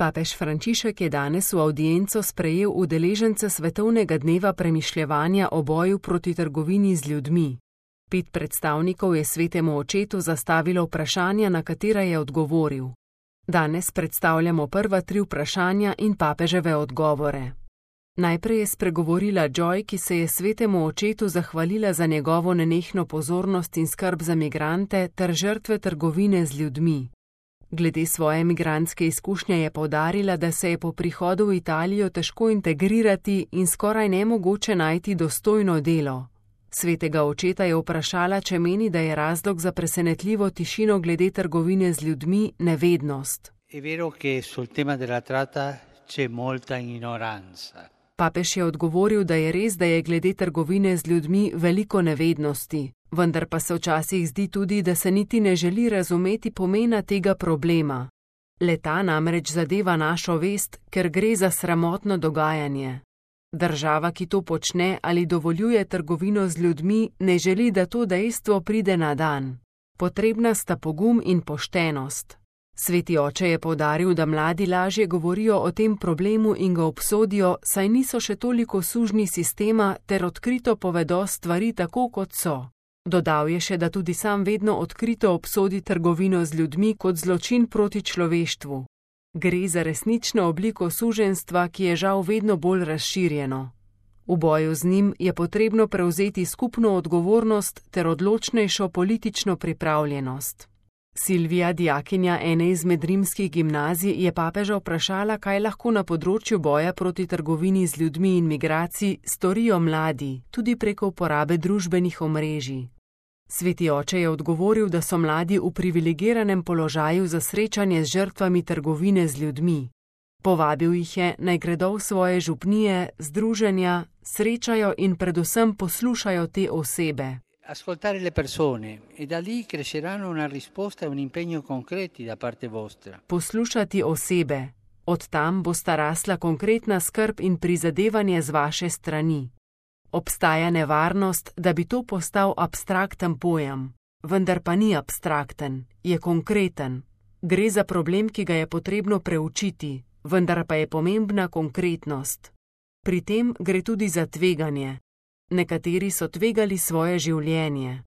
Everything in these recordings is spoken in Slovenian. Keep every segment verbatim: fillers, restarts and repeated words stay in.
Papež Frančišek je danes v avdienco sprejel udeležence Svetovnega dneva premišljevanja o boju proti trgovini z ljudmi. Pet predstavnikov je Svetemu očetu zastavilo vprašanja, na katera je odgovoril. Danes predstavljamo prva tri vprašanja in papeževe odgovore. Najprej je spregovorila Joy, ki se je Svetemu očetu zahvalila za njegovo nenehno pozornost in skrb za migrante ter žrtve trgovine z ljudmi. Glede svoje migrantske izkušnje je poudarila, da se je po prihodu v Italijo težko integrirati in skoraj nemogoče najti dostojno delo. Svetega očeta je vprašala, če meni, da je razlog za presenetljivo tišino glede trgovine z ljudmi nevednost. È vero che sul tema della tratta c'è molta ignoranza. Papež je odgovoril, da je res, da je glede trgovine z ljudmi veliko nevednosti, vendar pa se včasih zdi tudi, da se niti ne želi razumeti pomena tega problema. Le-ta namreč zadeva našo vest, ker gre za sramotno dogajanje. Država, ki to počne ali dovoljuje trgovino z ljudmi, ne želi, da to dejstvo pride na dan. Potrebna sta pogum in poštenost. Sveti oče je poudaril, da mladi lažje govorijo o tem problemu in ga obsodijo, saj niso še toliko sužnji sistema ter odkrito povedo stvari tako, kot so. Dodal je še, da tudi sam vedno odkrito obsodi trgovino z ljudmi kot zločin proti človeštvu. Gre za resnično obliko suženjstva, ki je žal vedno bolj razširjeno. V boju z njim je potrebno prevzeti skupno odgovornost ter odločnejšo politično pripravljenost. Silvija, dijakinja ene izmed rimskih gimnazij, je papeža vprašala, kaj lahko na področju boja proti trgovini z ljudmi in migracij storijo mladi, tudi preko uporabe družbenih omrežij. Sveti oče je odgovoril, da so mladi v privilegiranem položaju za srečanje z žrtvami trgovine z ljudmi. Povabil jih je, naj gredo v svoje župnije, združenja, srečajo in predvsem poslušajo te osebe. Ascoltare le persone e da lì cresceranno una risposta e un impegno concreti da parte vostra. Poslušati osebe. Od tam bosta rasla konkretna skrb in prizadevanje z vaše strani. Obstaja nevarnost, da bi to postal abstrakten pojem, vendar pa ni abstrakten, je konkreten. Gre za problem, ki ga je potrebno preučiti, vendar pa je pomembna konkretnost. Pri tem gre tudi za tveganje. Nekateri so tvegali svoje življenje.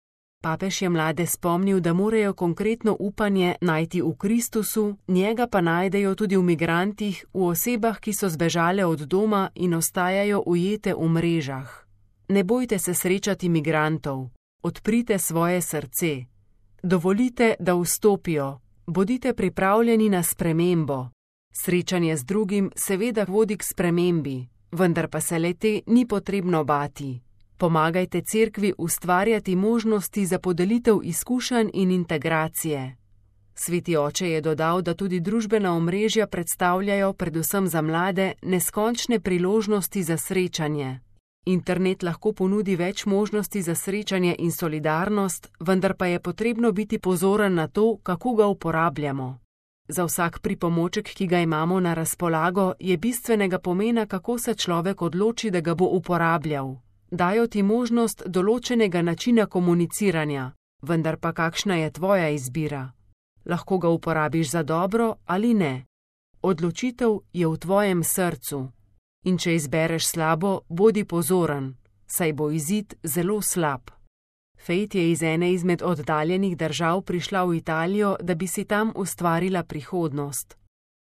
Papež je mlade spomnil, da morajo konkretno upanje najti v Kristusu, njega pa najdejo tudi v migrantih, v osebah, ki so zbežale od doma in ostajajo ujete v mrežah. Ne bojte se srečati migrantov, odprite svoje srce. Dovolite, da vstopijo, bodite pripravljeni na spremembo. Srečanje z drugim seveda vodi k spremembi, vendar pa se le-te ni potrebno bati. Pomagajte cerkvi ustvarjati možnosti za podelitev izkušenj in integracije. Sveti oče je dodal, da tudi družbena omrežja predstavljajo predvsem za mlade neskončne priložnosti za srečanje. Internet lahko ponudi več možnosti za srečanje in solidarnost, vendar pa je potrebno biti pozoren na to, kako ga uporabljamo. Za vsak pripomoček, ki ga imamo na razpolago, je bistvenega pomena, kako se človek odloči, da ga bo uporabljal. Dajo ti možnost določenega načina komuniciranja, vendar pa kakšna je tvoja izbira? Lahko ga uporabiš za dobro ali ne. Odločitev je v tvojem srcu. In če izbereš slabo, bodi pozoren, saj bo izid zelo slab. Fejt je iz ene izmed oddaljenih držav prišla v Italijo, da bi si tam ustvarila prihodnost.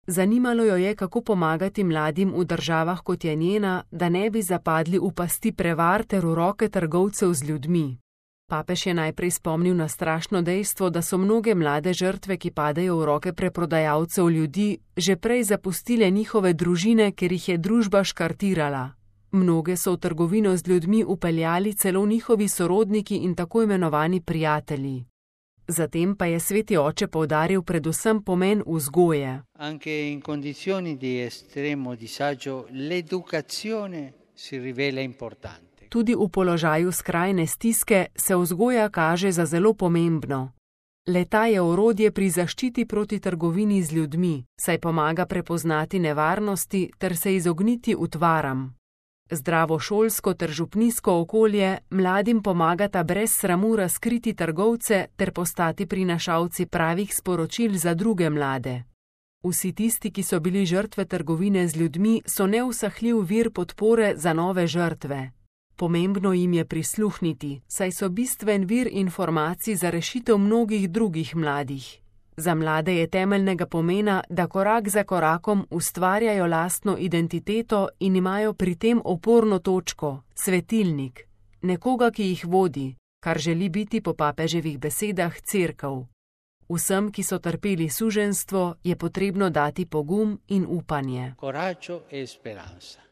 Zanimalo jo je, kako pomagati mladim v državah, kot je njena, da ne bi zapadli v pasti prevar ter v roke trgovcev z ljudmi. Papež je najprej spomnil na strašno dejstvo, da so mnoge mlade žrtve, ki padejo v roke preprodajalcev ljudi, že prej zapustile njihove družine, ker jih je družba škartirala. Mnoge so v trgovino z ljudmi upeljali celo njihovi sorodniki in tako imenovani prijatelji. Zatem pa je sveti oče poudaril predvsem pomen vzgoje. Anche in condizioni di estremo disagio l'educazione si rivela importante. Tudi v položaju skrajne stiske se vzgoja kaže za zelo pomembno. Le-ta je orodje pri zaščiti proti trgovini z ljudmi, saj pomaga prepoznati nevarnosti ter se izogniti utvaram. Zdravo šolsko ter župnijsko okolje mladim pomagata brez sramu razkriti trgovce ter postati prinašalci pravih sporočil za druge mlade. Vsi tisti, ki so bili žrtve trgovine z ljudmi, so neusahljiv vir podpore za nove žrtve. Pomembno jim je prisluhniti, saj so bistven vir informacij za rešitev mnogih drugih mladih. Za mlade je temeljnega pomena, da korak za korakom ustvarjajo lastno identiteto in imajo pri tem oporno točko, svetilnik, nekoga, ki jih vodi, kar želi biti po papeževih besedah cerkev. Vsem, ki so trpeli suženjstvo, je potrebno dati pogum in upanje. Coraggio e speranza.